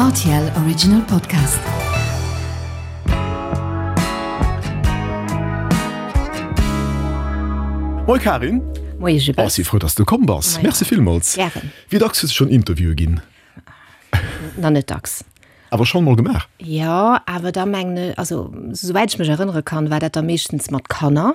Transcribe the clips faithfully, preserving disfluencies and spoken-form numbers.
R T L Original Podcast. Moie Karin. Moie Gilbert. Oh, si frou, dass du komm bass. Maja. Merci villmools. Gären. Wéi dacks hues du schonn Interviewe ginn? Na, net dacks. Awer schonn mol gemaach? Jo, awer da mengen ech, also souwäit ech mech erënnere kann, war dat da meeschtens mat Kanner.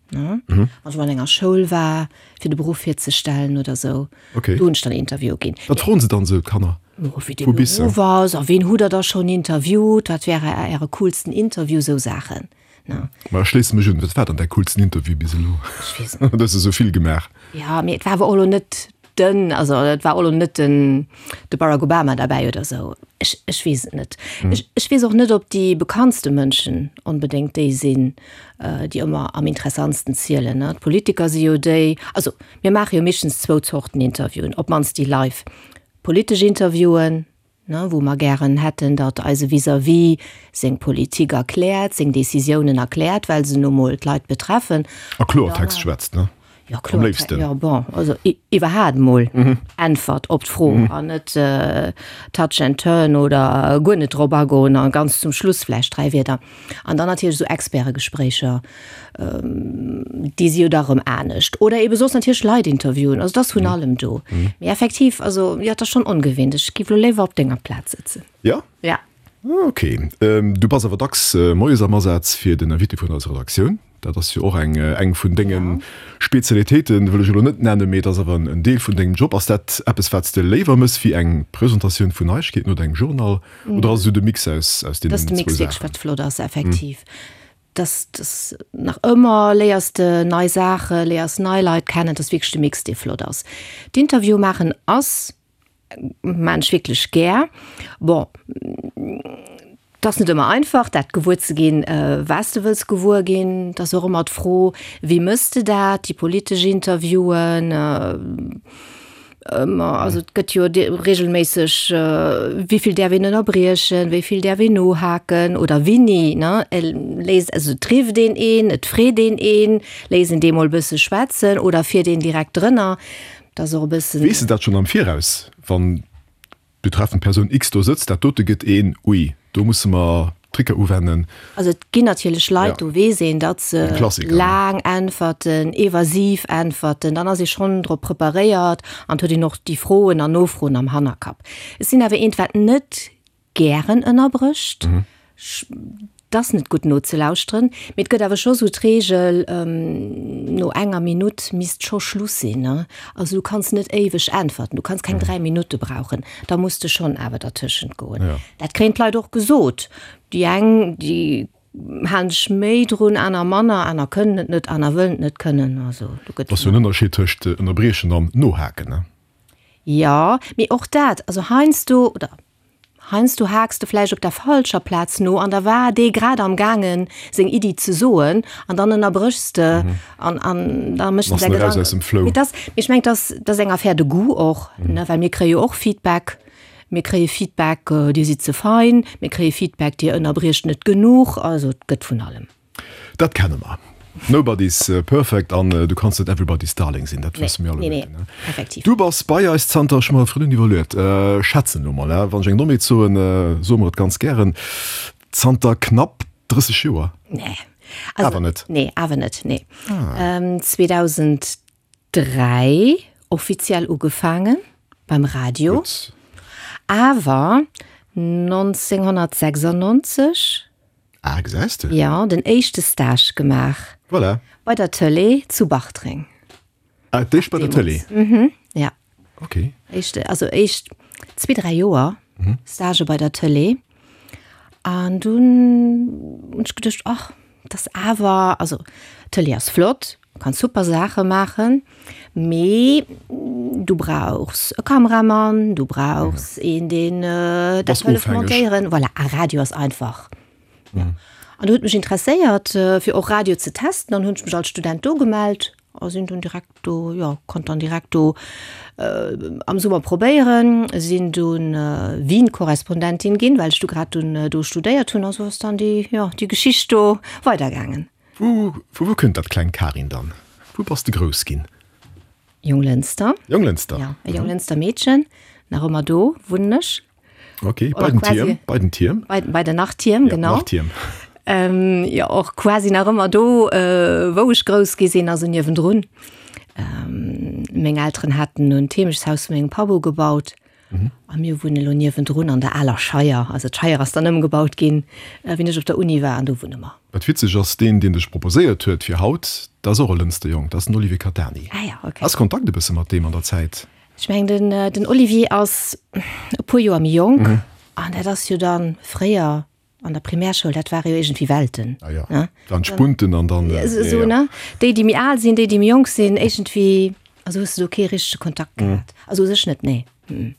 Ne? Mhm. Wann ech mal an enger Schoul war, fir de Beruff virzestellen oder sou. Okay. Do hunn ech dann Interviewe ginn. Wat froen se dann esou, d'Kanner? Oh, wéi de Wou bis se? Beruff ass, a ween hutt der da schonn interviewt, wat wär äre coolsten Interview, sou Saachen. Ne? Ma ech schléisse mech un, wat war dann däi coolsten Interview bis elo? Ech weess et net. Du hues esou vill gemaach. Ja, mee et war awer och elo net den, also et war och elo net den de Barack Obama derbäi oder sou. Ech, ech weess et net. Ech, ech weess och net, ob déi bekanntste Mënschen onbedéngt déi sinn, déi ëmmer am interessantsten zielen, ne. D'Politiker si jo déi, also mir maache jo meeschtens zwou Zorten Interviewen, op d'mannst déi live. Politesch Interviewen, ne, wou mer gären hätten, datt eise Vis-à-vis seng Politik erkläert, seng Decisiounen erkläert, well se nu mol d'Leit betreffen. A Kloertext schwätzt, ne? Jo, Am léifsten. Jo, bon, also iwwerhaat mol Äntwert op d'Fro an net touch and turn oder guer net drop agoen a ganz zum Schluss vläicht dräi Wierder. An dann natierlech esou Expertegespréicher, déi si jo da rëm anescht. Oder eebe soss natierlech Leit interviewen, also et ass vun allem do. Mee effektiv, also jo, et ass schonn ongewinnt. Ech giff elo léiwer op denger Plaz sëtzen. Jo? Ja. Ok. Du bass awer dacks moies am Asaz fir den Invité vun eiser Redaktioun. Dat ass jo och eng eng vun denge Spezialitéiten, wëll ech elo net nennen, mee et ass awer en Deel vun dengem Job. Ass dat eppes, wat s de léiwer mëss wéi eng Presentatioun vun Neiegkeeten oder engem Journal? Oder ass et esou de Mix aus aus Dat ass deenen de zwou Mix wierklech, Saachen? wat flott ass, effektiv. Dass dass nach ëmmer léiers de nei Saachen, léiers nei Leit kennen. Dat ass wierklech de Mix, dee flott ass. D'Interviewe maachen ass, maan ech wierklech gär. Bon, 't ass net ëmmer einfach, dat gewuer ze ginn, wat s de wëlls gewuer ginn. 't ass och ëmmer d'Fro, wéi mëss de dat, déi politesch Interviewen, ëmmer, also et gëtt jo regelméisseg, wéi vill däerf een ënnerbriechen, wéi vill däerf een nohaken oder wéini, ne, léisst, also et rifft een een, et freet een een, léisst een dee mol e bësse schwätzen oder fiert een direkt drënner. 't ass och e bëssen. Weess de dat schonn am Viraus, wann d'betreffend Persoun X do sëtzt, dat dote gëtt een, ui, do musse mer Tricker uwennen? Also et ginn natierlech Leit, do weess een, datt se laang äntwerten, evasiv äntwerten, dann ass ee schonn drop preparéiert an et huet een och déi Froen an Nofroen am Hannerkapp. Ech sinn awer eent, wat net gären ënnerbrécht. Et ass net gutt nozelauschteren, mee et gëtt awer scho sou d'Reegel, no enger Minutt misst scho Schluss sinn. Also du kanns net éiweg äntwerten, du kanns keng dräi Minutte brauchen, da muss de schonn awer dertëschent goen. Dat kréien d'Leit och gesot. Déi eng, déi halen sech méi drun, aner manner, aner kënnen et net, aner wëllen et net kënnen. Also do gëtt. Ass jo en Ënnerscheed tëscht ënnerbriechen an nohaken, ne? Jo, mee och dat, also heiansdo, oder heiansdo haaks de vläicht op der falscher Plaz no an da war dee grad am gaangen seng Iddi ze soen an dann ënnerbréchs de an an da mécht en Bass säi en eraus Gedanken. aus dem Flow. Mee dass, mee ech mengen, dass dass eng Affaire de goût och, ne, well mir kréie jo och Feedback. Mir kréie Feedback, Dir sidd ze fein, mir kréie Feedback, Dir ënnerbriecht net genuch. Also et gëtt vun allem. Dat kenne mer. Nobody's perfect an du kanns net everybody's darling sinn, dat wësse mir Nee, nee, alleguerten. effektiv. Du bass bei eis zanter, ech hu mer virdrun iwwerluet, schätzen elo mol, wann ech eng Dommheet soen, soe mer et ganz gären, zanter knapp drësseg Joer? Nee. Also, Awer net? Nee, awer net, nee. zweetausenddräi offiziell ugefaange beim Radio, Gutt. awer nonzénghonnertsechsundneunzeg Ah, gesäis de? Jo, den éischte Stage gemaach. Voilà. Bei der Tëlee zu Bartreng. Ah, d'éischt bei der Tëlee? Mhm, ja. Okay. Éischte, also éischt zwee, dräi Joer Stage bei der Tëlee. An dunn hunn ech geduecht, ach, dat ass awer, also Tëlee ass flott, kanns super Saache maachen, mee du brauchs e Kameramann, du brauchs een, deen dat hëlleft montéieren. Voilà, a Radio ass einfach. Ja. An du huet mech interesséiert, fir och Radio ze testen. Dann hunn ech mech als Student do gemellt a sinn dunn direkt do, jo, konnt dann direkt do am Summer probéieren. Sinn dunn Wien-Korrespondentin ginn, well ech du grad dunn do studéiert hunn. A sou ass dann déi, jo, déi Geschicht do weidergaangen. Vu vu wou kënnt dat klengt Karin dann? Wou bass de grouss ginn? Jonglënster. Jonglënster? Ja, e Jonglënster Meedchen. Nach ëmmer do wunnen ech. Okay, bei den Tierm, bei den Tierm. Bei, bei den Nachtierm, ja, genau. Nachtierm. Ähm, jo, och quasi nach ëmmer do, äh, wou ech grouss gi sinn, also niewendrun. Ähm, meng Elteren haten nun d'Heemechtshaus vu mengem Papp ugebaut. Mhm. A mir wunnen elo niewendrun an der aler Scheier. Also d'Scheier ass dann ëmgebaut ginn, äh, wéi ech op der Uni war, an do wunne mer. Wat witzeg ass, deen, deen dech proposéiert huet fir haut, dat ass och e Lënster Jong, dat ass den Olivier Catani. Ah ja, okay. Has Kontakt e bësse mat deem an der Zäit? Ech mengen, den, äh, den Olivier ass e puer Joer méi jonk. Mhm. An dat ass jo dann fréier an der Primärschoul, dat ware jo iergendwéi Welten. Ah ja. Ne? Dann Spunten an dann. Äh, so, ja, ja. Ne? Déi, déi méi al sinn, déi, déi méi jonk sinn, iergendwéi, also hues du do kee richtege Kontakt mhm. gehat. Also u sech net, nee. Mhm.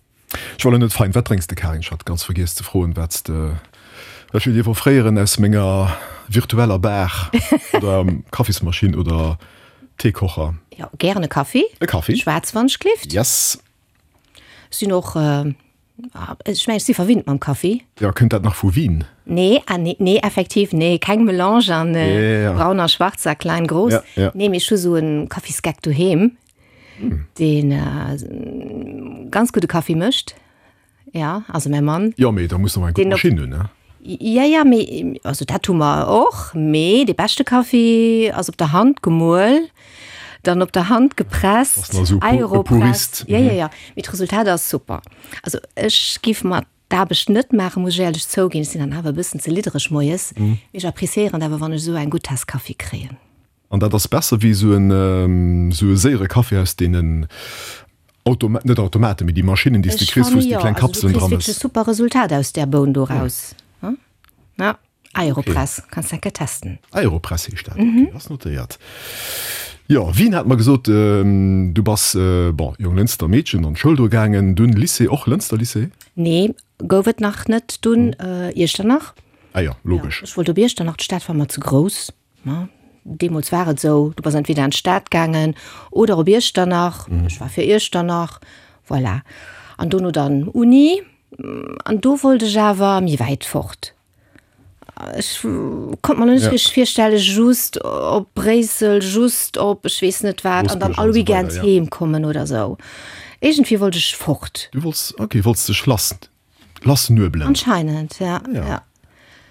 Ech war elo net fein. Wat drénks de, Karin? Ech hat ganz vergiess ze froen, wat s de, wat ech dir offréieren aus menger virtueller Bar oder Kaffismaschinn oder Teekocher. Jo, gären e Kaffi. E Kaffi. Schwaarz wann ech gelift. Yes. Sinn och, ech mengen, ech si verwinnt mam Kaffi. Jo, kënnt dat nach vu Wien? Nee, ah nee, nee, effektiv, nee, keng Melange an braun a schwarz a klein, grouss. Ja, ja. Nee, mee ech hu sou e Kaffisgeck doheem, deen ganz gudde Kaffi mécht. Ja, also mäi Mann. Jo, mee da muss de och eng gutt Maschinn hunn, ne? Ja, ja, mee also dat hu mer och, mee dee beschte Kaffi ass op der Hand gemuel, dann op der Hand gepresst, Aeropress. Ja, ja, ja, mee d'Resultat ass super. Also ech giff mer d'Aarbecht net maachen, muss ech éierlech zouginn, ech sinn dann awer e bëssen ze liddereg moies, mee ech appreciéieren et awer, wann ech esou eng gutt Taass Kaffi kréien. An dat ass besser wéi esou en esou e séiere Kaffi aus deenen Automa net Automaten, mee déi Maschinnen, déi s de Ech kriss, wou fanne s de jo, kleng also du Kapselen kriss dra wierklech e mëss. super Resultat aus där Boun do raus. Ja, Okay. Aeropress, kanns eng Kéier testen. Aeropress heescht dat, okay, ass notéiert. Jo, Wien hat mer gesot, du bass, bon, Jonglënster Meedchen, an d'Schoul do gaangen, dunn Lycée, och Lënster Lycée? Nee, gouf et nach net dunn, Iechternach. Ah jo, logesch. Jo, ech wollt op Iechternach, d'Stad war mer ze grouss. Deemools war et esou, du bass entweder an d'Stad gaangen oder op Iechternach. Ech war fir Iechternach, voilà. An dono dann Uni, an do wollt ech awer méi wäit fort. Ech konnt mer lo net richteg virstellen, just op Bréissel, just op ech weess net wat an dann all Weekend heem kommen oder esou. Iergendwéi wollt ech fort. Du wollts, okay, wollts dech lass, lassnuebelen. Anscheinend, ja, ja.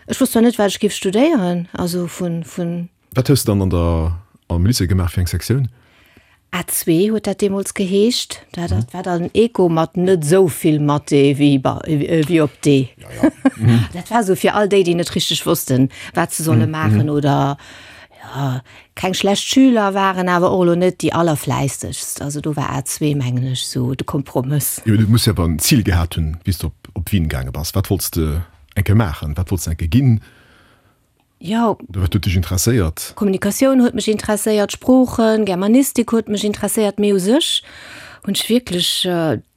Ech wosst zwar net, wat ech géif studéieren, also vun, vun. Wat hues de dann an der, am Lycée gemaach, fir eng Sektioun? A zwee huet dat deemools geheescht. Dat dat war dann Eco mat net esou vill Mathé wéi bei, wéi op D. Dat war esou fir all déi, déi net richteg wossten, wat se solle maachen oder, jo, keng schlecht Schüler waren, awer och elo net déi allerfläissegst. Also do war A zwee, mengen ech, esou de Kompromëss. Jo, du muss jo awer en Zil gehat hunn, wéi s de op, op Wien gaange bass. Wat wollts de eng Kéier maachen? Wat wollts de eng Kéier ginn? Jo. Oder wat huet dech interesséiert? Kommunikatioun huet mech interesséiert, Sproochen, Germanistik huet mech interesséiert, mee u sech hunn ech wierklech,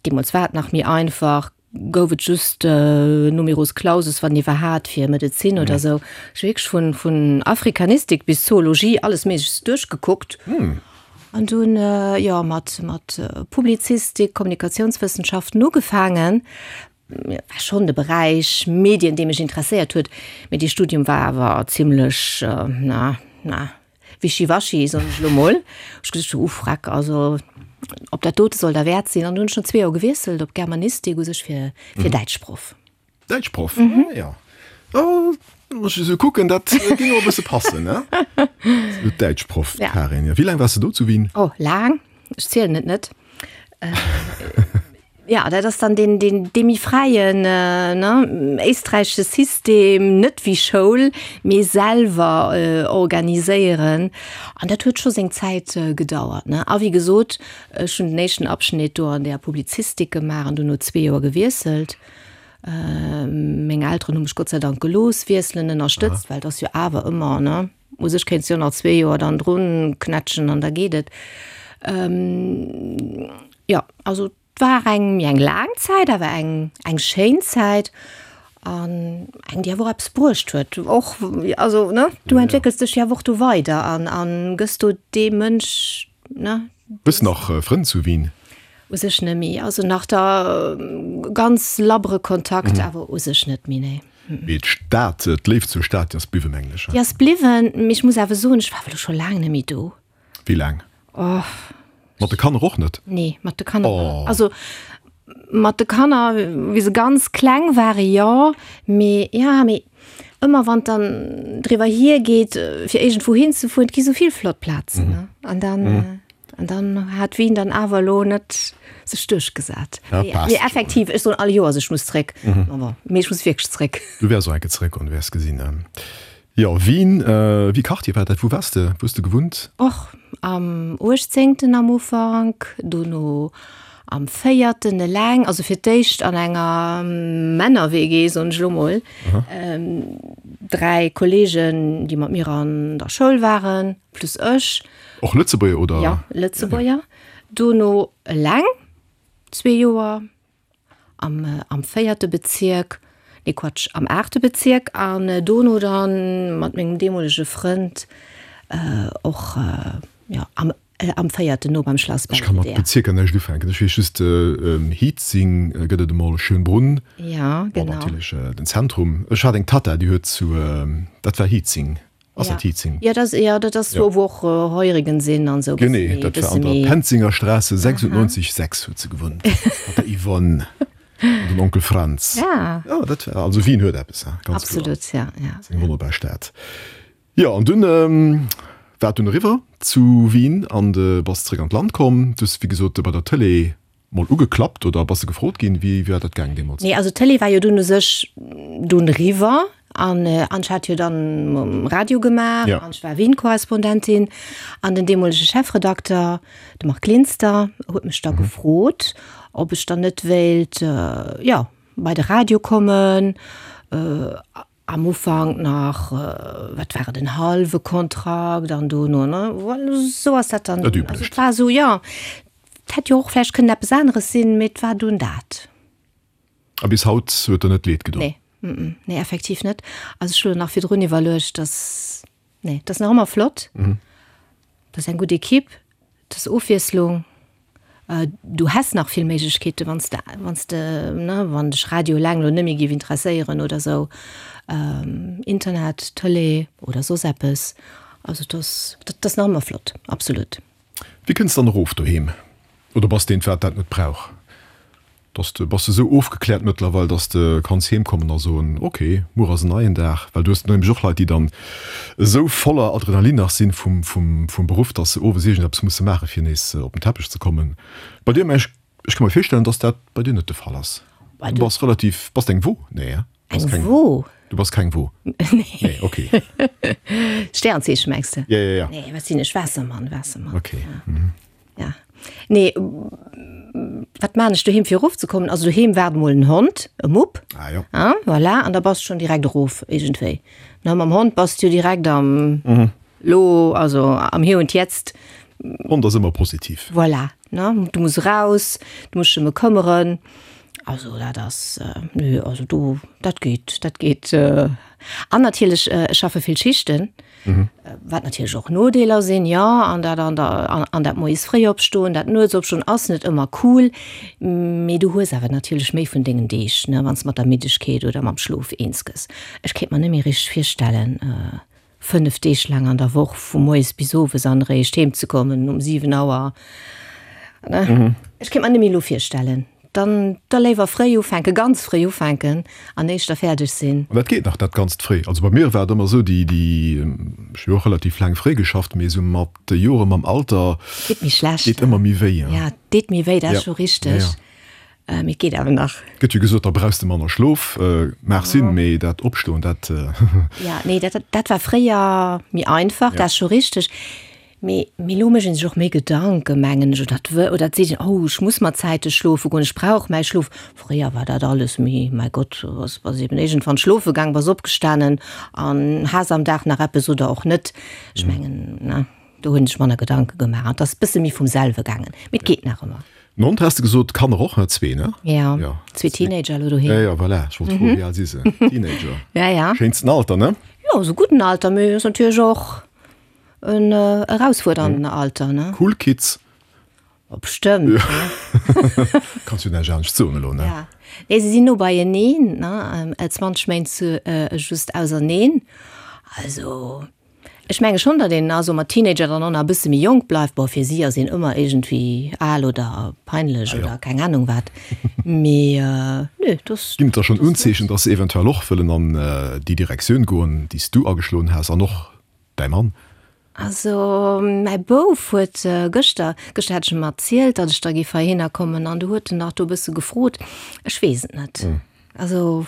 deemools war et nach méi einfach, gouf et just Numerus Clausus, wann iwwerhat, fir Medezin oder esou. Ech hu wierklech vun, vun Afrikanistik bis Zoologie alles Méiglechst duerchgekuckt. An dunn, jo, mat, mat Publizistik, Kommunikatiounswëssenschaften ugefaangen. War schonn de Beräich Medien, dee mech interesséiert huet, mee dee Studium war awer zimlech, na, na, wischiwaschi, soen ech elo mol. Ech geduecht, uh, freck, also ob dat dote soll derwäert sinn. An dunn hunn ech no zwee Joer gewiesselt op Germanistik, u sech fir, fir Däitschproff. Däitschproff, ah jo. Oh, wann ech esou kucken, dat géing och e bësse passen, ne? Däitschproff, Karin. Wéi laang waars de do zu Wien? Oh, laang, ech zielen et net. Ja, dat ass dann deen, deen, dee méi fräien, ne, éisträichesche System, net wéi Schoul, mee selwer organiséieren. An dat huet scho seng Zäit gedauert, ne. A wéi gesot, ech hunn den éischten Abschnitt do an där Publizistik gemaach an dunn no zwee Joer gewiesselt. Meng Elteren hu mech Gott sei Dank gelooss wiesselen, ënnerstëtzt, well et ass jo awer ëmmer, ne, u sech kéints de jo nach zwee Joer dann drun knätschen an da geet et. Jo, also 't war eng méi eng laang Zäit, awer eng eng schéin Zäit an eng, déi awer och eppes bruecht huet. Och, also ne, du entwéckels dech jo awer och do weider an an gëss do dee Mënsch, ne. Hues de nach Frënn zu Wien? U sech net méi. Also nach da ganz labbere Kontakt, awer u sech net méi, nee. Mee d'Stad, d'Léift zur Stad, déi ass bliwwen, mengen ech. Déi ass bliwwen, mee ech muss awer soen, ech war awer elo scho laang net méi do. Wéi laang? Oh. Mat de Kanner och net? Nee, mat de Kanner. Oh. Also Mat de Kanner, wéi se ganz kleng ware jo, mee ja, mee ëmmer wann et dann driwwer hiergeet, fir iergendwou hinzefueren, et gi sou vill flott Plazen, ne? An dann, an dann hat Wien dann awer elo net sech duerchgesat. Ja, passt Mee schon. effektiv, ech soen all Joers, ech muss zréck. Bon, mee ech muss wierklech zréck. Du wäers och eng Kéier zréckgoen, du wäers gesinn. Jo, Wien, wéi Quartier war dat? Wou waars de? Wou hues de gewunnt? Och am uechtzéngten am Ufank, dono am véierten eleng, also fir d'éischt an enger Männer-W G, soen ech elo mol, dräi Kolleegen, déi mat mir an der Schoul waren, plus ech. Och Lëtzebuerger oder? Jo, Lëtzebuerger. Dono eleng zwee Joer am, am véierte Bezierk, nee Quatsch, am aachte Bezierk an dono dann mat mengem deemolege Frënd och, jo, am, am véierten no beim Schlass Ech ka mat Belvedere. Bezierker näischt ufänken. Ech weess just, Hietzing gëtt et emol, Schönbrunn, Ja, bon, genau. natierlech den Zentrum. Ech hat eng Tatta, déi huet zu, dat war Hietzing. Ass Ja. dat Hietzing? Ja, dat, ja, dat ass Ja. do, wou och äh, Heurigen sinn an sou. Genee, Bësse méi, dat war bësse an der méi. Penzinger Straße sechsundneunzig sechs huet se gewunnt. Mat der Yvonne an den Onkel Franz. Ja. Ja, dat war, also Wien huet eppes, hein, ganz kloer. Absolut, ja, ja. Ass eng wonnerbar Stad. Jo, an dunn ähm, war et dunn eriwwer zu Wien an de bass zréck an d'Land komm. Du hues, wéi gesot, bei der Tëlee mol ugeklappt oder bass de gefrot ginn? Wéi war dat gaangen deemools? Nee, also d'Tëlee war jo dunn u sech dunn eriwwer an an ech hat jo dann um Radio gemaach Ja. an ech war Wien-Korrespondentin an den deemolege Chefredakter, de Marc Linster, huet mech da gefrot, ob ech dann net wéilt, jo, bei de Radio kommen. Am Ufank nach, wat war et, en hallwe Kontrakt an dono, ne, voilà, esou ass dat dann. Dat Also Üblecht. et war esou, jo, et hätt jo och vläicht kënnen eppes aneres sinn, mee et war dunn dat. A bis haut huet der net leed gedoen? Nee, mm, nee, effektiv net. Also ech hu nach virdrun iwwerluecht, dass, nee, dat ass nach ëmmer flott. Dat ass eng gutt Ekipp, dat ass Ofwiesslung. Du häss nach vill Méiglechkeete wann s de, wann s de, ne, wann dech Radio eleng elo net méi géif interesséieren oder esou, Internet, Tëlee oder soss eppes. Also dat ass, dat ass nach ëmmer flott, absolut. Wéi kënns dann erof doheem? Oder bass de een, wat dat net brauch? Dass de, bass de esou ofgekläert mëttlerweil, dass de kanns heem kommen a soen, ok, muer ass en neien Dag? Well du hues nämlech och Leit, déi dann esou voller Adrenalin nach sinn vum, vum, vum Beruff, dass se owes iergendeppes musse maachen, fir nees op den Teppech ze kommen. Bei dir, mä ech, ech ka mer virstellen, dass dat bei dir net de Fall ass. Du bass relativ, bass de eng Wo? Nee, hein? Bass Eng keng, Wo? Du bass keng Wo? Nee. Nee, ok. Sternzeechen mengs de? Ja, ja, ja. Nee, wat sinn ech? Waassermann, Waassermann. Ok. Ja. Nee, wat maan ech doheem fir erofzekommen? Also doheem waart mol en Hond, e Mupp. Ah jo. Ah, voilà, an da bass schonn direkt erof iergendwéi. Ne, mam Hond bass du direkt am Lo, also am Hier und Jetzt. Hond ass ëmmer positiv. Voilà, ne, du muss raus, du muss dech ëm e këmmeren. Also dat ass, nö, also do, dat geet, dat geet. An natierlech, ech schaffe vill Schichten, wat natierlech och Nodeeler sinn, jo, an dat an der, an dat moies fréi opstoen, dat nuets opstoen ass net ëmmer cool, mee du hues awer natierlech méi vun dengen Deeg, ne, wann s de mat der Middegkeet oder mam Schlof eens gëss. Ech kéint mer net méi richteg virstellen, fënnef Deeg laang an der Woch vu moies bis owes an eréischt heem ze kommen um siwen Auer. Ne? Ech kéint mer net méi elo virstellen. Dann da léiwer fréi ufänken, ganz fréi ufänken an éischter fäerdeg sinn. An dat geet nach, dat ganzt fréi. Also bei mir war et ëmmer esou, déi, déi, ech hu jo och relativ laang fréi geschafft, mee esou mat de Joren, mam Alter, Geet méi schlecht. deet ëmmer méi wéi. Ja, deet méi wéi, dat ass scho richteg. Ja, ja. Mee et geet awer nach. Gëtt jo gesot, da brauchs de manner Schlof. Mag sinn, mee dat Opstoen, dat. Ja, nee, dat, dat war fréier méi einfach, dat ass scho richteg. Mee, mee elo mécht een sech och méi Gedanken, mengen ech, oder et wë, oder et seet een, oh, ech muss mer zäiteg schlofe goen, ech brauch mäi Schlof. Fréier war dat alles méi, mäi Gott, bass, bass eben iergendwann schlofe gaang, bass opgestanen an has am Dag nach eppes oder och net. Ech mengen, ne, do hunn ech manner Gedanke gemaach an et ass bësse méi vum selwe gaangen. Mee et geet nach ëmmer. En Hond has de gesot, Kanner och, ne? Zwee, ne? Ja, Ja. zwee Teenager elo doheem. Ja, ja, voilà, ech wollt froen, wéi al si se? Teenager. Ja, ja. Schéinsten Alter, ne? Jo, esou gudden Alter, mee ass natierlech och en erausfuerdernden Alter, ne? Cool Kids. Oh, bestëmmt, ne? Kanns jo näischt anescht soen elo, ne? Ja. Nee, se sinn no beieneen, ne? zwanzeg Méint zu, just auserneen. Also, Ech menge schonn, datt een also mat Teenager dann och nach e bësse méi jonk bleift. Bon, fir si ass een ëmmer iergendwéi al oder peinlech oder keng Anung wat. Mee nö, dass. Ginn et da schonn Unzeechen, dass se eventuell och wëllen an déi Direktioun goen, déi s du ageschloen has an och däi Mann? Also mäi Bouf huet gëschter, gëschter hat ech em erzielt, datt ech da géif heihinner kommen an du huet en nach do e bësse gefrot. Ech weess et net. Also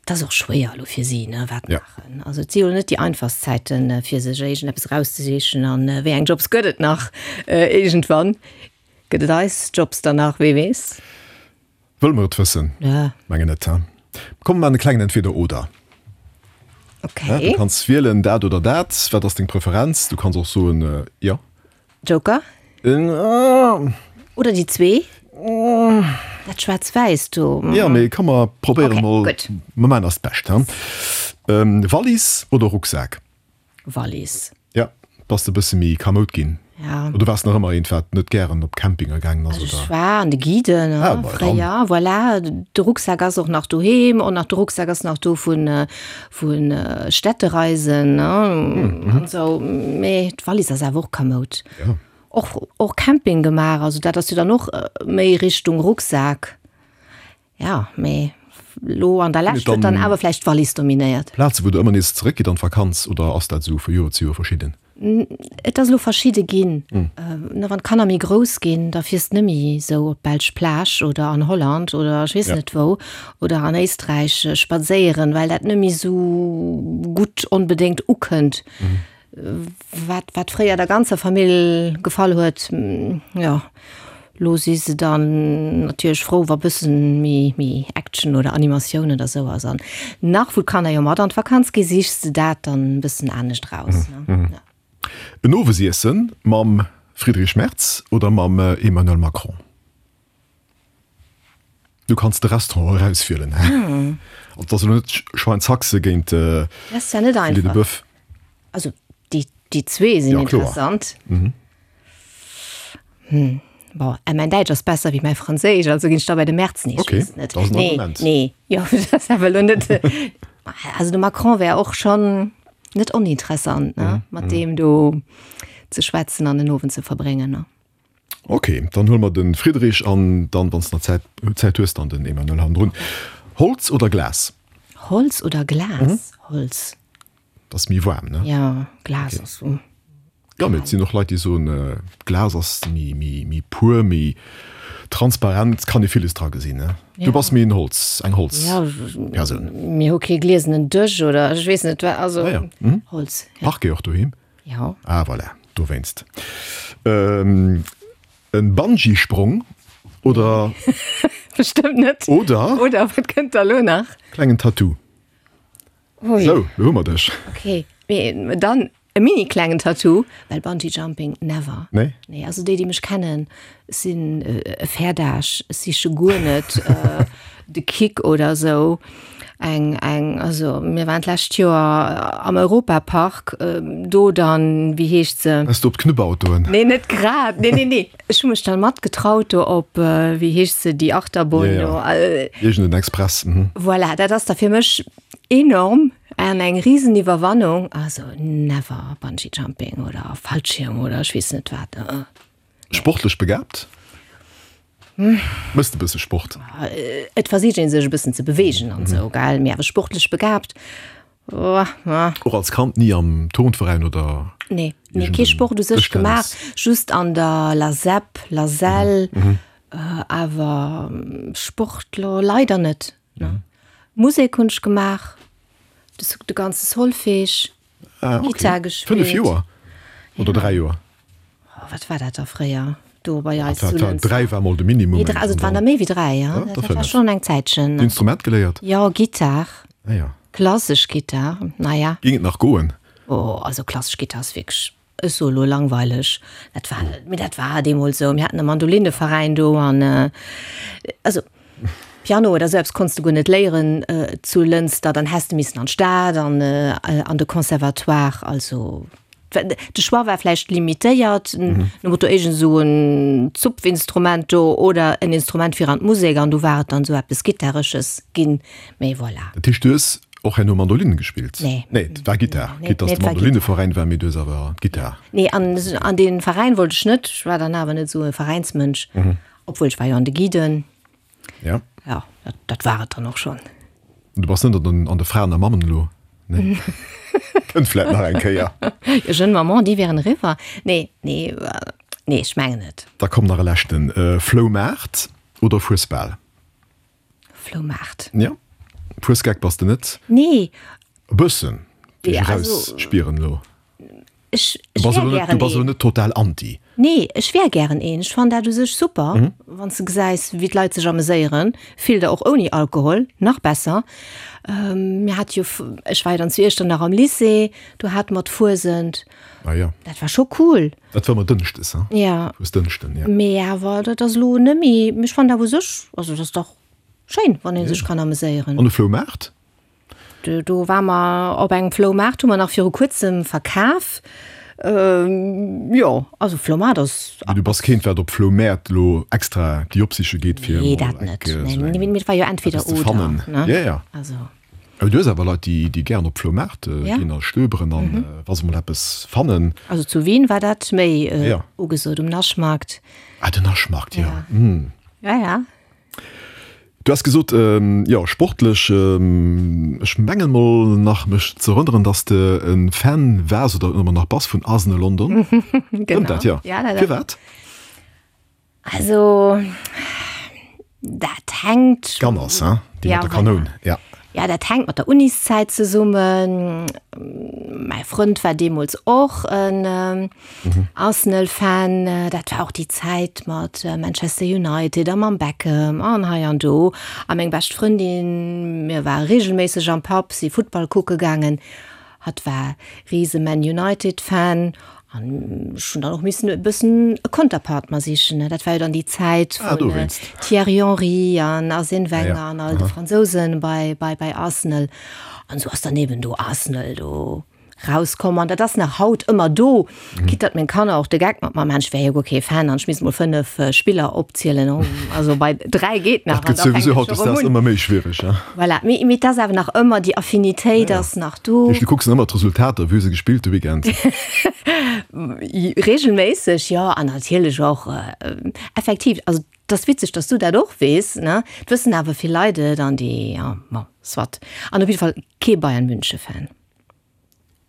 et ass och schwéier elo fir si, ne, wat maachen. Also et si jo net déi einfachst Zäiten, fir sech iergendeppes erauszesichen an wéi eng Jobs gëtt et nach iergendwann. Gëtt et eis Jobs dann nach, wee weess? Wëlle mer et wëssen? Mengen net, he? Komm mer maachen e klengen Entweder-Oder. Okay. Du kanns wielen dat oder dat. Wat ass deng Preferenz? Du kanns och soen, jo. Joker? Oder déi zwee? Dat Schwaarz-Wäiss do. Jo, mee komm mer probéieren mol. Okay, gutt. Mer maachen eist Bescht, he? Wallis oder Rucksak? Wallis. Ja, bass de bësse méi kamoud ginn? Ja. Oder waars nach ëmmer eent, wat net gären op Campinger gaangen ass, Also oder? ech war an de Guiden, ne, Ah, bah, dann. fréier, voilà. De Rucksak ass och nach doheem, och nach de Rucksak ass nach do vun, vun Städtereisen, ne, an esou. Mee d'Wallis ass awer och kamoud. Ja. Och, och Camping gemaach, also dat ass jo dann och méi Richtung Rucksak. Ja, mee lo an der Lescht huet dann awer vläicht d'Wallis dominéiert. Plaze wou der ëmmer nees zeréckgitt an d'Vakanz oder ass dat esou vu Joer zu Joer verschidden? Et ass elo verschidde ginn. Ne, wann d'Kanner méi grouss ginn, da fiers de net méi esou op d'belsch Plage oder an Holland oder ech weess net wou oder an Éisträich spadséieren, well dat net méi esou gutt onbedéngt ukënnt. Wat, wat fréier der ganzer Famill gefall huet, jo, lo si se dann natierlech frou, wa bëssen méi, méi Action oder Animatioun oder sou ass. An nach wou d'Kanner jo mat an d'Vakanz gi, sichs de dat dann e bëssen anescht raus, ne? Ja. En Owesiessen mam Friedrich Merz oder mam Emmanuel Macron? Du kanns de Restaurant erauswielen. Also et ass elo net Schweinshaxe géint Dat ass ja net Filet de einfach. Boeuf. Also déi, déi zwee sinn Ja, kloer. interessant. Hm. Bon, äh, mäin Däitsch ass besser wéi mäi Franséisch, also ginn ech da bei de Merz. Nee, ech Okay, weess et net. dat ass en Nee, Argument. nee, jo, dat ass awer elo net. Also de Macron wär och schonn net oninteressant, ne, mat deem do ze schwätzen an den Owend ze verbréngen, ne. Okay, dann huele mer de Friedrich an dann, wann s de nach Zäit, Zäit hues, dann den Emmanuel hannendrun. Holz oder Glas? Holz oder Glas? Holz. Dat ass méi waarm, ne? Ja, Glas ass so. Ja, mee et sinn och Leit, déi soen, Glas ass méi, méi, méi pur, méi transparent, kann ee villes dra gesinn, ne? Du bass méi en Holz, eng Holzpersoun. Ja, mir hu kee gliesenen Dësch oder ech weess net wat, also Ah ja. Mhm. Holz. Ja. Parquet och doheem? Ja. Ah, voilà, dowéinst. Ähm, en Bungee-Sprong oder. Bestëmmt net. Oder. Oder wat kënnt da lo nach? Klengen Tattoo. Ui. Sou, lo hu mer dech. Okay, mee dann e mini klengen Tattoo, well Bungee Jumping, never. Nee? Nee, also déi, déi mech kennen, ech sinn e Fäerdasch, ech siche guer net de Kick oder sou. Eng, eng, also mir waren d'lescht Joer am Europapark, do dann, wéi heescht se? Bass du op d'Knubbautoen? Nee, net grad, nee, nee, nee. Ech hu mech dann matgetraut do op, wéi heescht se, déi Achterbunn do. Ja, ja. Iergend en Express, mhm. Voilà, dat ass da fir mech enorm an eng Riseniwwerwannung. Also never Bungee Jumping oder Fallschirm oder ech weess net wat. Sportlech begabt? Mëss de bësse Sport? Et versicht een sech e bëssen ze beweegen an esou, gell, mee awer sportlech begabt, Och als Kand ni am Turnveräin oder Nee, nee, kee Sport u sech gemaach, just an der Lasep, Lasel, awer Sport lo leider net. Musek hunn ech gemaach, de ganze Solfège, Gittar gespillt. Fënnef Joer oder dräi Joer? Oh, wat war dat da fréier do bei eis zu Lënster? Dräi war mol de Minimum. Nee, also et waren der méi wéi dräi, ja. Dat war schonn eng Zäitchen. Instrument geléiert? Jo, Gittar. Ah ja. Klassesch Gittar, naja. Géing et nach goen? Oh, also klassesch Gittar ass wierklech, ech soe lo langweileg. Dat war, mee dat war deemools esou. Mir haten e Mandolinneveräin do an also Piano oder esou eppes konns de guer net léieren zu Lënster. Dann häss de missen an d'Stad an an de Conservatoire. Also de Choix war vläicht limitéiert, nom Motto iergend esou en Zupfinstrument do oder en Instrument fir an d'Musek an do war et dann esou eppes Gittaresches ginn. Mee voilà. Dat heescht, du hues och herno Mandolin gespillt? Nee. Nee, et war Gittar. Nee, Quitte dass nee, de et war Mandolinneveräin war, mee du hues awer Gittar. Nee, an, an dee Veräin wollt ech net. Ech war dann awer net esou e Veräinsmënsch. Obwuel ech war jo an de Guiden. Ja. Ja, dat, dat war et dann och schonn. Du bass net an den, an de Fraen a Mammen elo? Nee. Kënnt vläit nach eng Kéier. Jo, Jeune Maman, déi wären eriwwer. Nee, nee, nee, ech mengen net. Da komm nach e leschten. Floumaart oder Fuesbal? Floumaart. Ja. Fuesgeck bass de net? Nee. E bëssen, wéi ech Ja, also, erausspieren elo. Ech, Du ech bass wär elo net, gären du bass elo een. net total anti. Nee, ech wär gären een. Ech fannen dat u sech super, wann s de gesäis, wéi d'Leit sech ameséieren. Vill der och ouni Alkohol, nach besser. Mir hate jo, ech war jo dann zu Iechternach am Lycée, do hate mer d'Fuesent. Ah ja. Dat war scho cool. Dat war ëmmer dënschdes, hein? Ja. Fuesdënschden, ja. Mee awer dat ass elo net méi, mee ech fannen dat u sech, also dat ass dach schéin, wann ee sech kann ameséieren. An de Floumaart? Do, do ware mer op engem Floumaart, hu mer nach viru kuerzem verkaf. Jo, also Floumaart ass. Mee du bass keent, wat op Floumäert elo extra déi opsiche geet, fir Nee, emol dat net. enk esou Nee, eng mee et war jo entweder eppes ze oder, fannen. ne? Ja, ja. Also. Awer du hues awer Leit, déi, déi gären op Floumaart Ja. ginn a stöberen an wa se mol eppes fannen. Also zu Wien war dat méi Ja. ugesot, um Naschmarkt. Ah, den Naschmarkt, ja. Ja. Ja, ja. Du has gesot, jo, sportlech, ech mengen mol nach mech ze erënneren, dass de e Fan waars oder ëmmer nach bass vun Arsenal London. Stëmmt dat? Jo. Ja, dat. Firwat? Also, dat hänkt. Gunners, hein? Déi Ja, mat der Kanoun, ja. Ja, dat hänkt mat der Uniszäit zesummen. Mäi Frënd war deemools och en Arsenal-Fan. Dat war och déi Zäit mat Manchester United a mam Beckham an hei an do. A meng bescht Frëndin, mir ware reegelméisseg am Pub, si Futtball kucke gaangen. Hatt war rise Man United-Fan an ech hunn dann och missen e bëssen e Konterpart mer sichen. Dat war jo dann déi Zäit Ah, vun dowéinst. Thierry Henry an Arsène Wenger Ja, an all de Fransousen bei, bei, bei Arsenal. An esou ass dann eben do Arsenal do rauskomm an dat ass nach haut ëmmer do, quitte datt meng Kanner och de Geck mat mer maachen, ech wär jo guer kee Fan an ech misst mol fënnef Spiller opzielen, also bei dräi geet nach Dat an gëtt da fänkt souwisou et scho hautdesdaags erëm un. ëmmer méi schwiereg, hein? Voilà, mee, mee et ass awer nach ëmmer, déi Affinitéit ass nach do. Heescht, du kucks ëmmer d'Resultater, wéi hu se gespillt de Weekend? Regelméisseg, jo, an natierlech och effektiv, also et ass witzeg, datt s du dat och weess, ne? Et wëssen awer vill Leit et an déi, ja, bon, soit. An op jidde Fall kee Bayern München Fan.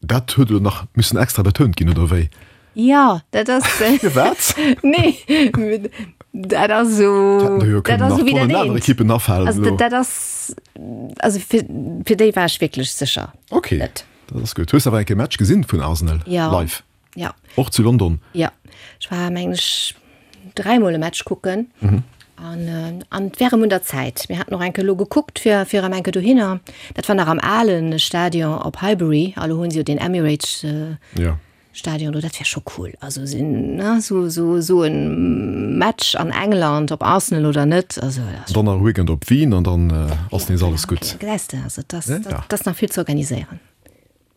Dat huet elo nach missen extra betount ginn, oder wéi? Jo, dat ass. Firwat? Nee, dat ass esou, Hätten der jo dat kënnen ass nach esou wéi dat tonnen aner eent. Ekippen afalen Also elo. dat ass, also fir, fir déi war ech wierklech sécher Okay, net. dat ass gutt. Hues de awer eng Kéier e Match gesinn vun Arsenal Ja. live? Ja. Och zu London? Ja, ech war mengen ech dräimol e Match kucken an an et wär erëm un der Zäit. Mir haten och eng Kéier elo gekuckt fir fir erëm eng Kéier dohinner. Dat war nach am alen Stadion op Highbury, a lo hunn se jo den Emirates Ja. Stadion do. Dat wär scho cool. Also sinn ne sou sou sou en Match an England, ob Arsenal oder net, also dat ass Dann nach e Weekend op Wien an dann ass nees alles okay, gutt. gesäis de, also dat ass Ja, dat ja. ass nach vill ze organiséieren.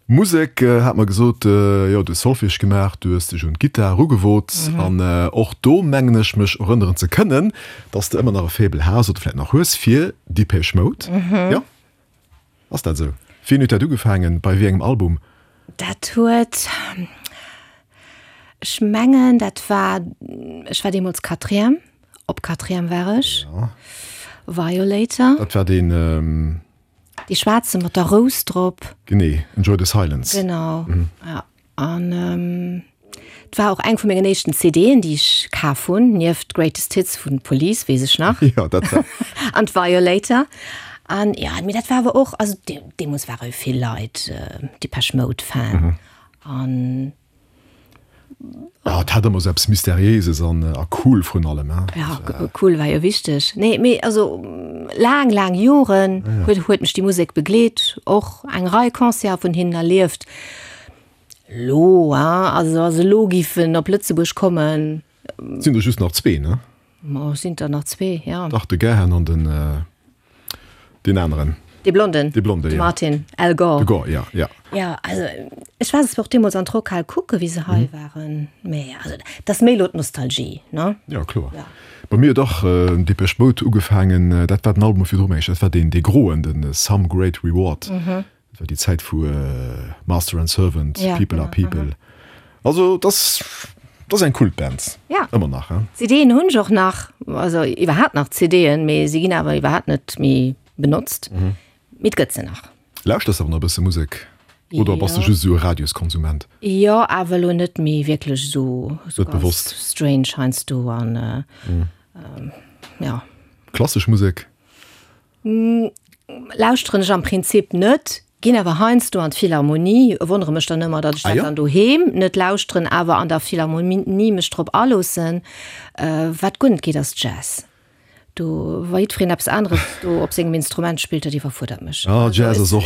Musek hat mer gesot, jo, du hues Solfège gemaach, du hues dech un d'Gittar erugewot an och do mengen ech mech erënneren ze kënnen, dass de ëmmer nach e Faible has oder vläit nach hues fir Depeche Mode. Jo? Ass dat esou? Wéini huet dat ugefaangen, bei wéi engem Album? Dat huet, ech mengen dat war, ech war deemools Quatrième, op Quatrième war ech, Violator. Dat war deen. Dee schwaarze mat der Rous drop. Genee, Enjoy the Silence. Genau, ja. An et war och eng vu mengen éischten C D'en, déi ech kaf hunn, nieft Greatest Hits vun Police, weess ech nach. Jo, dat war. An d'Violator. An ja, mee dat war awer och, also deemools ware jo vill Leit Depeche Mode Fan. An. Ah, et hat ëmmer esou eppes Mysteriéises an a cool vrun allem, hein. Ja, cool war jo wichteg. Nee, mee also laang, laang Joren huet, huet mech déi Musek begleet, och eng Rei Concerte vun hinnen erlieft. Lo, hein, also wa se lo giffen op Lëtzebuerg kommen. Et sinn der just nach zwee, ne? Ma et sinn der nach zwee, ja. Dach, de Gahan an den, deen aneren. Dee Blonden. Dee Blonden, De ja. Martin, Al Gore. De Gore, ja, ja. Ja, also ech war se och deemools an d'Rockhal kucke wéi se hei waren, mee also dat ass méi elo d'Nostalgie, ne? Ja, kloer. Ja. Bei mir huet och Depeche Mode ugefaangen, dat war den Album virdru mengen ech, dat war deen dee groen, den Some Great Reward. Dat war déi Zäit vu Master and Servant, Ja, People Are genau, People. Also dat ass, dat ass eng Kultband. Ja. Ëmmer nach, hein? CDen hunn ech och nach, also iwwerhaapt nach CDen, mee si ginn awer iwwerhaapt net méi benotzt. Mee et gëtt se nach. Lauschters awer nach e bësse Musek oder bass de Jo. just esou e Radioskonsument? Jo, awer elo net méi wierklech esou, esou Net ganz bewosst. strange heiansdo an ja. Klassesch Musek? Lauschteren ech am Prinzip net, ginn awer heiansdo an d'Philharmonie, wonnere mech dann ëmmer, datt ech Ah dat jo? dann doheem net lauschteren, awer an der Philharmonie mech drop aloossen. Wat guer net geet, ass Jazz. Do, wa jiddwereen eppes aneres do op sengem Instrument spillt, dat iwwerfuerdert mech. Ah, Jazz ass och,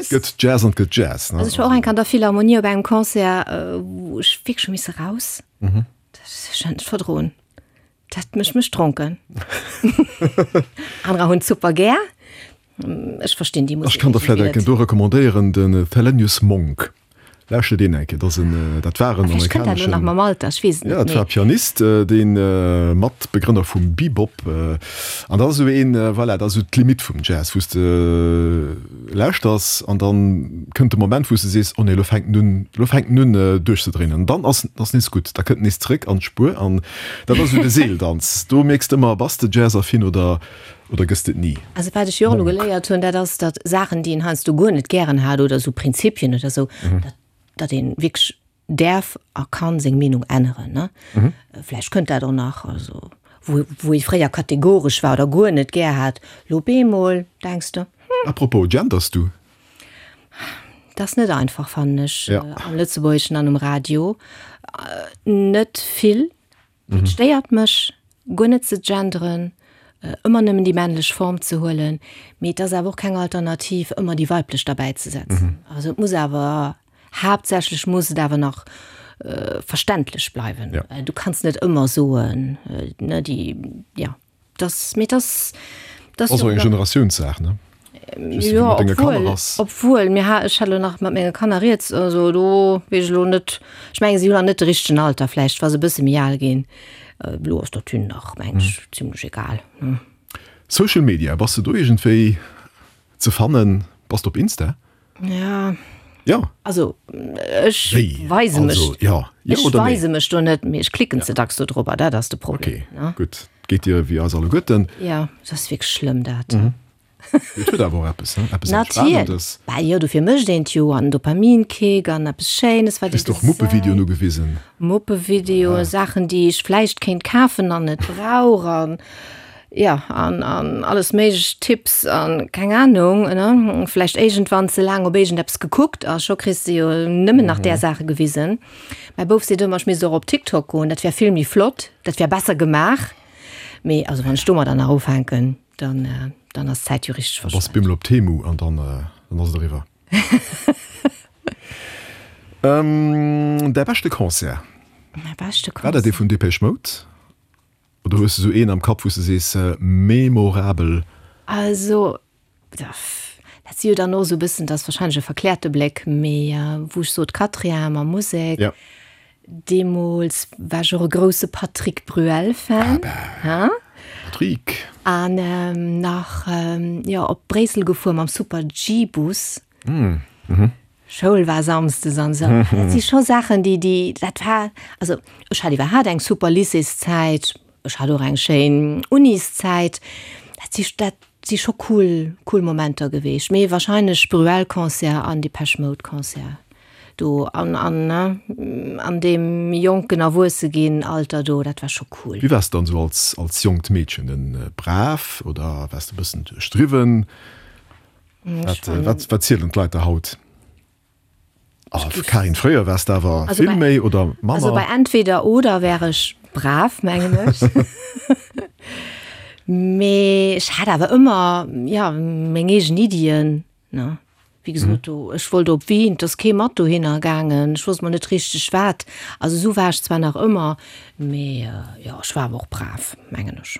gëtt Jazz an et gëtt Jazz, ne? Also ech war och eng Kéier an der Philharmonie op engem Concert, wou ech wierklech hu misse raus. Dat ech hat net verdroen. Dat mécht mech dronken. Anerer hunn et super gär. Ech verstinn déi Ech Musek kann der vläit iergendwéi enken net. do recommandéieren, den Thelonious Monk. Lauschter deen eng Kéier, dat ass en, dat war en Vläicht kënnt dat elo nach amerikaneschen, mam Alter, ech weess et ja, net, dat war mee. Pianist, dee Matbegrënner vum Bebop. An dat ass esou een, voilà, dat ass esou d'Limite vum Jazz, wou s de lauschters an dann kënnt de Moment, wou s de sees, oh nee, elo fänkt en un, elo fänkt en un duerchzedréinen. An dann ass ass nees gutt, da kënnt en nees zréck an d'Spuer an dat ass esou de Seeldanz. Do mierks de ëmmer, bass de jazzaffin oder Oder gëss de et ni? Also wat ech jo och elo geléiert hunn, dat ass, datt Saachen, déi een heiansdo guer net gären hat oder esou Prinzipien oder esou, datt, datt ee wierklech däerf a kann seng Meenung änneren, ne? Vläicht kënnt dat och nach, also wou, wou ee fréier kategoresch war oder guer net gär hat, lo op eemol denks de, hm. Apropos, genders du? Dat ass net einfach, fannen ech, Ja. am Lëtzebuergeschen an um Radio. Net vill. Et stéiert mech guer net ze genderen, ëmmer nëmmen déi männlech Form ze huelen, mee et ass awer och keng Alternativ, ëmmer déi weiblech derbäi ze setzen. Also et muss awer, haaptsächlech muss et awer nach verständlech bleiwen. Ja. Du kanns net ëmmer soen, ne, déi, ja, dass, mee dass, dass Ass och eng Generatiounssaach, ne? Jo, obwuel, obwuel mir ha, ech hat elo nach mat menge Kanner rieds, also do weess ech elo net, ech mengen si hunn nach net de richtegen Alter, vläicht wa se e bësse méi al ginn, elo ass dat hinnen nach, meng ech, zimlech egal. Social Media, bass de do iergendwéi ze fannen? Bass de op Insta? Ja. Ja. Also ech Wéi? weise mech, Also, ja. Ja ech oder nee? weise mech do net, mee ech klicken ze dacks do drobber, dat ass de Problem, Okay, ne? gutt. Geet dir wéi eis alleguerten. Ja, dat ass wierklech schlëmm dat. Et huet awer och eppes, ne? Eppes Natierlech. Entspanendes. Bah jo, dofir mécht een et jo. An Dopaminkick an eppes Schéines, wat ee Kriss och Muppevideoen gesäit. ugewisen. Muppevideoen, Saachen, déi ech vläicht kéint kafen an net brauch an jo, an, an alles méiglech Tipps an keng Ahnung, ne? Vläicht iergendwann ze laang op iergendeppes gekuckt a scho kriss de jo nëmmen nach där Saache gewisen. Mäi Bouf seet ëmmer, ech misst och op TikTok goen, dat wär vill méi flott, dat wär besser gemaach. Mee also wann ech domadder nach ufänken, dann, dann ass d'Zäit jo richteg Da bass verschwent. bemol op Temu an dann, dann ass et eriwwer. Ähm, däi beschte Concert? Mäi beschte War dat dee Concert? vun Depeche Mode? Oder hues de sou een am Kapp, wou s de sees, memorabel? Also, dat si jo dann och sou e bëssen, dat ass wahrscheinlech e verkläerte Bléck, mee wou ech sot Quatrième a Musek, Ja. Deemools war ech och e grousse Patrick Bruel-Fan. Ah, Patrick! An nach, jo, op Bréissel gefuer mam Super-G-Bus. Schoul war samsdes an esou. Dat si scho Saachen, déi, déi, dat war, also ech hat iwwerhaapt eng super Lycéeszäit, ech hat och eng schéin Uniszäit. Dat si, dat si scho cool, cool Momenter geweecht. Mee wahrscheinlech Bruel-Concert an Depeche Mode-Concert. Do an, an, ne, an deem jonken Erwuesse-ginn-Alter do, dat war scho cool. Wéi waars de dann esou als, als jonkt Meedchen? En brav oder waars de e bëssen duerchdriwwen? Wat, wat, wat zielen d'Leit der haut? Ah, Karin, fréier waars de awer Also vill bei, méi oder also bei manner? entweder oder wär ech brav, mengen ech. Mee ech hat awer ëmmer, jo, meng eegen Iddien, ne. Wéi gesot, do, ech wollt op Wien, et ass kee mat dohinner gaangen, ech wousst mol net richteg wat. Also esou war ech zwar nach ëmmer, mee jo, ech war awer och brav, mengen ech.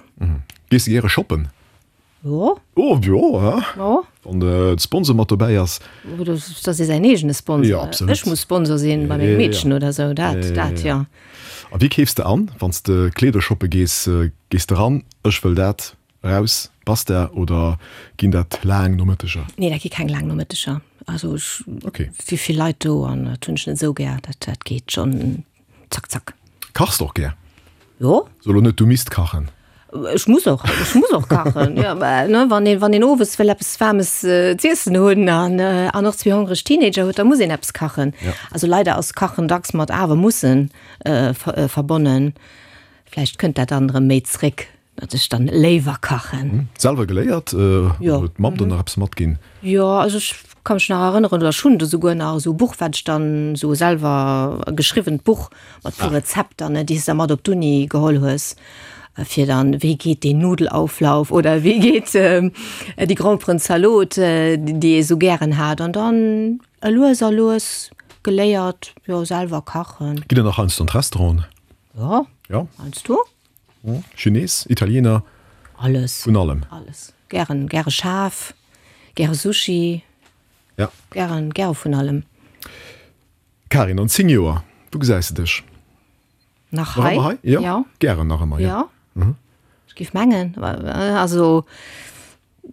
Gees de gäre shoppen? Jo. Oh, jo, hä? Jo. Wann de Sponsor mat dobäi ass. Oder dat ass säin eegene Sponsor. Jo, absolut. Ech muss Sponsor sinn bei mengem Meedchen oder sou, dat, dat, jo. A wéi keefs de an, wann s de Kleeder shoppe gees? Gees de ran, ech wëll dat, raus, basta, oder ginn dat laang Nomëtteger? Nee, dat gi keng laang Nomëtteger. Also ech, Okay. si vill Leit do an dat hunn ech net esou gär. Dat, dat geet schonn zack, zack. Kachs de och gär? Jo. So elo net, du misst kachen. Ech muss och, ech muss och kachen. Ja, mä, ne, wann een, wann een owes wëll eppes Waarmes z'iessen hunn an, an och zwee hongreg Teenager huet, da muss een eppes kachen. Ja. Also leider ass Kachen dacks mat awer mussen verbonnen. Vläicht kënnt dat dann erëm méi zréck, datt ech dann léiwer kachen. Selwer geléiert? Jo. Huet d'Mamm der nach eppes matginn? Jo, also ech ka mech nach erënneren, oder ech hunn do souguer nach esou e Buch, wat ech dann esou selwer geschriwwent Buch mat puer Rezepter, ne, déi s de da mat op d'Uni geholl hues, fir dann, wéi geet deen Nudelauflauf oder wéi geet déi Gromperenzalot, déi ee sou gären hat. An dann lues a lues geléiert, jo, selwer kachen. Gitt Der nach heiansdo an d'Restauranten? Jo, Jo. heiansdo. Chines, Italiener? Alles. Vun allem? Alles. Gären, gäre schaarf, gäre Sushi. Ja. Gären, gäre vun allem. Karin, an zéng Joer, wou gesäis de dech? Nach Nach hei? ëmmer hei? Jo. Ja. Gären nach ëmmer, ja. ja. Ja. Ech géif mengen, also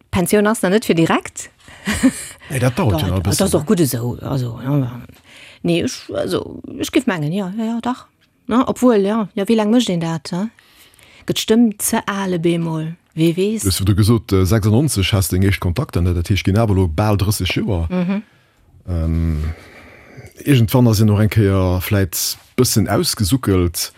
d'Pensioun ass nach net fir direkt. Nee, dat dauert jo nach e Dat bëssen. ass och gutt esou. Also, nee, ech, also ech géif mengen, jo, jo, jo, dach. Ne, obwuel, jo, jo, wéi laang mécht een dat, he? Gëtt d'Stëmm ze al op eemol? Wee weess? Du hues virdru gesot, sechsundneunzeg has deng éischt Kontakter, ne? Dat heescht, ginn awer elo bal drësseg Joer. Iergendwann ass een och eng Kéier vläit bëssen ausgesuckelt.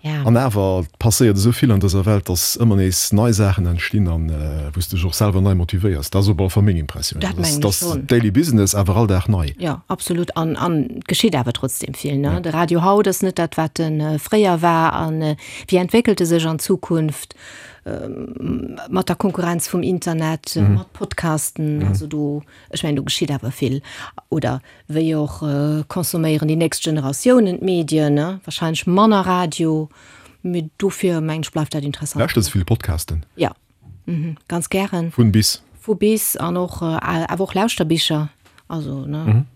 Ja. An awer passéiert esou vill an dëser Welt, dass ëmmer nees nei Saachen entstinn an wou s de dech och selwer nei motivéiers. Dat ass op alle Fall meng Impressioun. Dat mengen ech Dat ass schonn. Daily Business, awer all Dag nei. Jo, absolut. An, an et geschitt awer trotzdem vill, ne? De Radio haut ass net dat, wat e fréier war. An wéi entwéckelt e sech an Zukunft mat der Konkurrenz vum Internet, mat Podcasten? Also do, ech mengen, do geschitt awer vill. Oder wéi och consomméieren déi nächst Generatiounen d'Medien, ne? Wahrscheinlech manner Radio, mee dofir mengen ech bleift dat interessant. Lauschters de vill Podcasten? Ja, ganz gären. Vun bis? Vu bis an och awer och Lauschterbicher, also ne,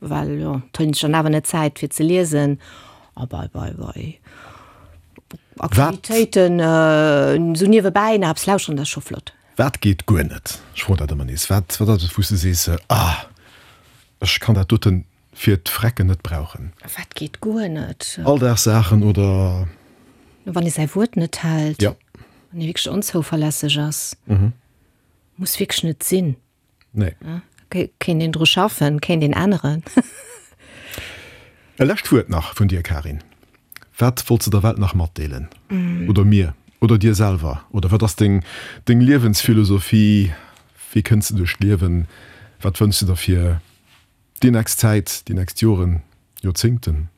well jo, et huet een sech dann awer net Zäit fir ze liesen. A bei bei bei Aktivitéiten esou niewebäi nach eppes lauschteren, dat ass scho flott. Wat geet guer net? Ech froen dat ëmmer nees. Wat wat ass et wou s de sees, ah ech kann dat doten fir d'Frecken net brauchen? Wat geet guer net? Alldagssaachen oder? Wann ee säi Wuert net hält. Ja. Wann ee wierklech onzouverlässeg ass. Muss wierklech net sinn. Nee. Kéint een dru schaffen, kéint een änneren. E lescht Wuert nach vun dir, Karin. Wat wollts de der Welt nach matdeelen? Oder mir? Oder dir selwer? Oder wat ass deng, deng Liewensphilosophie? Wéi kënns de duerch d'Liewen? Wat wënschs de der fir déi nächst Zäit, déi nächst Joren, Joerzéngten?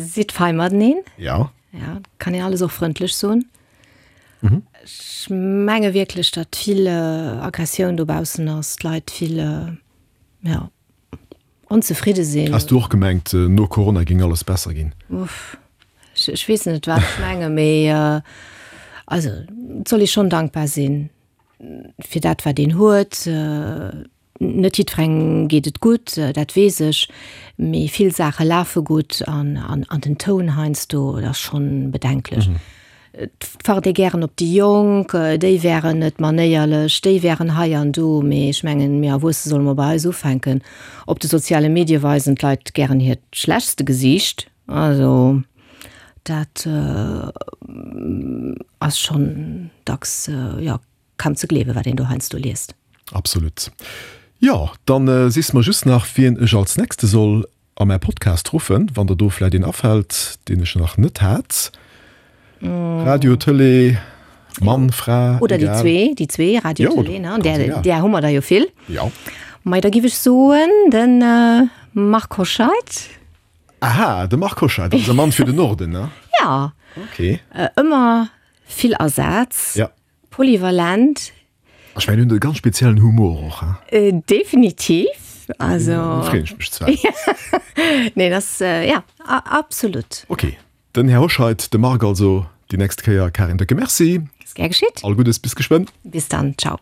Sidd fei mateneen. Ja. Ja, kann een alles och frëndlech soen. Ech menge wierklech, datt vill Aggressioun dobaussen ass, d'Leit vill, ja, onzefridde sinn. Has du och gemengt, no Corona géing alles besser ginn? Uff, ech, ech weess net, wat ech menge, mee also et soll ee schonn dankbar sinn fir dat, wat een huet. Net jiddwerengem geet et gutt, dat weess ech, mee vill Saache lafe gutt an, an, an den Toun heiansdo, dat ass schonn bedenklech. Et facht ee gären op déi Jonk, déi wären net manéierlech, déi wären hei an do, mee ech mengen, mir Erwuesse solle mol bei eis ufänken. Op de soziale Medie weisen d'Leit gären hiert schlechtste Gesiicht, also dat ass schonn dacks, jo, kaum ze gleewen, wat een do heiansdo liest. Absolut. Jo, dann sees mer just nach, wien ech als nächste soll a mäi Podcast ruffen, wann der do vläit een afält, deen ech nach net hat. Radio, Tëlee, Mann, Fra, Oder déi egal. zwee, déi zwee, Radio, Jo, Tëlee, ne? ganz Där, egal. där hu mer der jo vill. Jo. Mei, da giff ech soen, de Marc Hoscheid. Aha, de Marc Hoscheid, eise Mann fir den Norden, ne? Ja. Okay. Ëmmer vill Asaz. Ja. Polyvalent. Ech mengen, en huet e ganz speziellen Humor och, he? Definitiv. Also. Do freeën ech mech zwar. Nee, das, ja, absolut. Okay, den Här Hoscheid, de Marc also déi nächst Kéier. Karin, décke Merci. Ass gär geschitt. All Guddes, bis geschwënn. Bis dann, ciao.